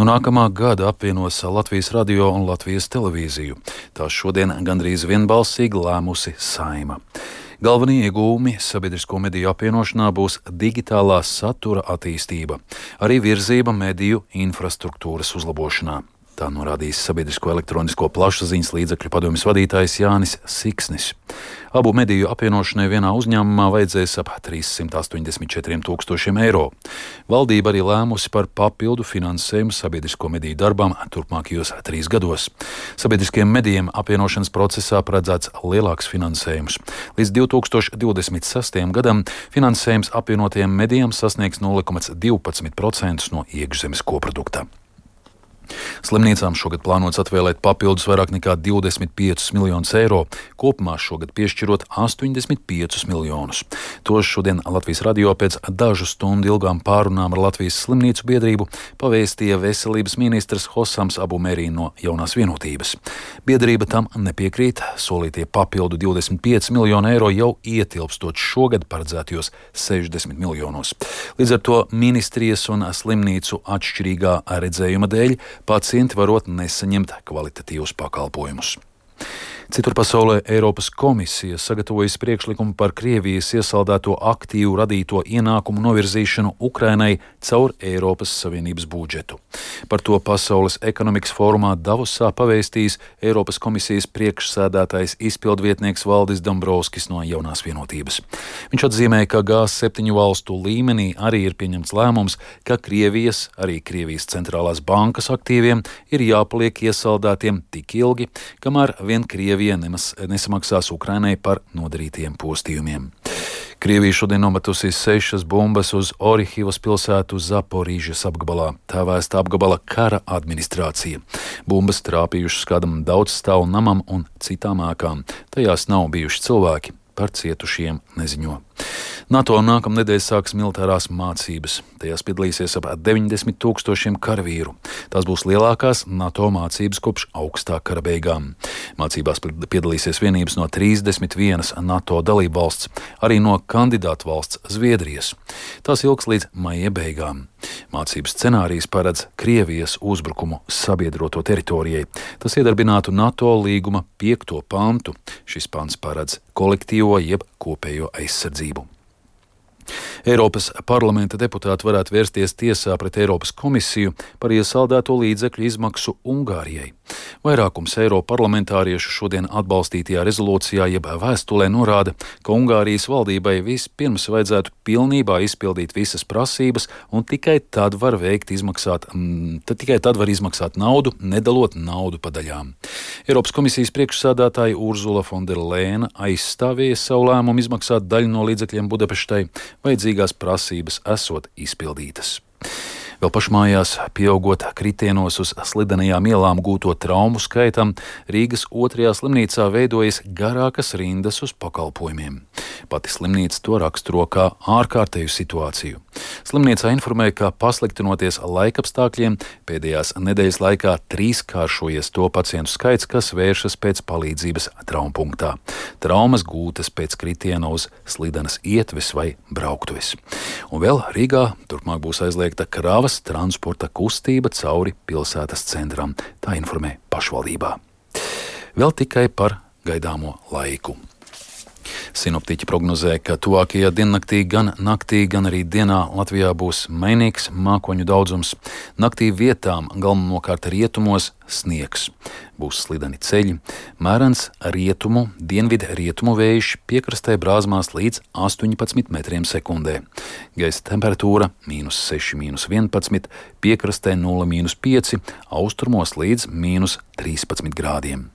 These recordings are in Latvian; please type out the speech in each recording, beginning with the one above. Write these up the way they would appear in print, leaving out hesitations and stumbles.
No nākamā gada apvienos Latvijas radio un Latvijas televīziju. Tās šodien gandrīz vienbalsīgi lēmusi Saeima. Galvenie iegūmi sabiedrisko mediju apvienošanā būs digitālā satura attīstība, arī virzība mediju infrastruktūras uzlabošanā. Tā norādījis sabiedrisko elektronisko plašsaziņas līdzekļu padomjas vadītājs Jānis Siksnis. Abu mediju apvienošanai vienā uzņēmumā vajadzēs ap 384 000 eiro. Valdība arī lēmusi par papildu finansējumu sabiedrisko mediju darbām turpmākajos 3 gados. Sabiedriskiem medijiem apvienošanas procesā paredzēts lielāks finansējums. Līdz 2026. gadam finansējums apvienotajiem medijiem sasniegs 0,12% no iekšzemes koprodukta. Slimnīcām šogad plānots atvēlēt papildus vairāk nekā 25 miljonus eiro, kopumā šogad piešķirot 85 miljonus. Tos šodien Latvijas radio pēc dažu stundu ilgām pārunām ar Latvijas slimnīcu biedrību pavēstīja veselības ministrs Hosams Abu Merī no Jaunās vienotības. Biedrība tam nepiekrīt, solītie papildu 25 miljonu eiro jau ietilpstot šogad paredzētajos 60 miljonos. Līdz ar to ministrijas un slimnīcu atšķirīgā redzējuma dēļ pacienti varot nesaņemt kvalitatīvus pakalpojumus. Citur pasaulē Eiropas komisija sagatavojas priekšlikumu par Krievijas iesaldēto aktīvu radīto ienākumu novirzīšanu Ukrainai caur Eiropas Savienības budžetu. Par to Pasaules ekonomikas fórumā Davosā pavēstījis Eiropas komisijas priekšsēdētājs izpildvietnieks Valdis Dombrovskis no Jaunās vienotības. Viņš atzīmēja, ka G7 valstu līmenī arī ir pieņemts lēmums, ka Krievijas centrālās bankas aktīviem ir jāpaliek iesaldētiem tik ilgi, kamēr vien Krievija nesamaksās Ukrainai par nodarītiem postījumiem. Krievija šodien nometusi 6 bumbas uz Orihivas pilsētu Zaporīžas apgabalā. Tā vēsta apgabala kara administrācija. Bumbas trāpījušas kādam daudzstāvu namam un citām ēkām. Tajās nav bijuši cilvēki. Par cietušiem neziņo. NATO nākamnedēļ sāks militārās mācības. Tajās piedalīsies ap 90 000 karavīru. Tās būs lielākās NATO mācības kopš augstā kara beigām. Mācībās piedalīsies vienības no 31 NATO dalību valsts, arī no kandidātu valsts Zviedrijas. Tās ilgs līdz maija beigām. Mācību scenārijs paredz Krievijas uzbrukumu sabiedroto teritorijai. Tas iedarbinātu NATO līguma 5. pantu. Šis pants paredz kolektīvo jeb kopējo aizsardzību. Eiropas parlamenta deputāti varētu vērsties tiesā pret Eiropas komisiju par iesaldēto līdzekļu izmaksu Ungārijai. Vairākums eiroparlamentāriešu šodien atbalstītajā rezolūcijā jeb vēstulē norāda, ka Ungārijas valdībai vispirms vajadzētu pilnībā izpildīt visas prasības un tikai tad var izmaksāt naudu, nedalot naudu pa daļām. Eiropas komisijas priekšsēdētāja Urzula von der Leyena aizstāvēja savu lēmumu izmaksāt daļu no līdzekļiem Budapeštai, vajadzīgās prasības esot izpildītas. Vēl pašmājās, pieaugot kritienos uz slidenajām ielām gūto traumu skaitam, Rīgas 2. slimnīcā veidojas garākas rindas uz pakalpojumiem. Pati slimnīca to raksturo kā ārkārtēju situāciju. Slimnīcā informēja, ka pasliktinoties laikapstākļiem, pēdējās nedēļas laikā 3-kāršojies to pacientu skaits, kas vēršas pēc palīdzības traumpunktā. Traumas gūtas pēc kritiena uz slidenas ietves vai brauktuves. Un vēl Rīgā turpmāk būs aizliegta kravas transporta kustība cauri pilsētas centram. Tā informē pašvaldībā. Vēl tikai par gaidāmo laiku. Sinoptiķi prognozē, ka tuvākajā diennaktī gan naktī, gan arī dienā Latvijā būs mainīgs mākoņu daudzums. Naktī vietām galvenokārt rietumos sniegs. Būs slideni ceļi, mērens rietumu, dienvidrietumu vējš, piekrastē brāzmās līdz 18 metriem sekundē. Gaisa temperatūra -6, -11, piekrastē 0,5, austrumos līdz -13 grādiem.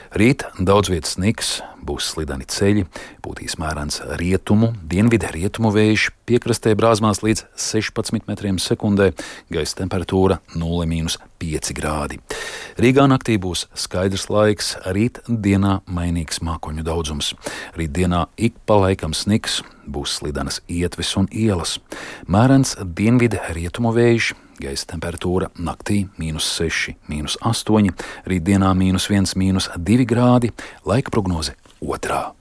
Rīt daudz vietas sniks, būs slideni ceļi, būtīs mērens rietumu, dienvidrietumu vējš, piekrastē brāzmās līdz 16 metriem sekundē, gaisa temperatūra 0,5 grādi. Rīgā naktī būs skaidrs laiks, rīt dienā mainīgs mākoņu daudzums. Rīt dienā ik pa laikam sniks, būs slidenas ietves un ielas. Mērens dienvidrietumu vējš, gaisa temperatūra naktī -6, -8, rītdienā -1, -2 grādi, laika prognoze 2.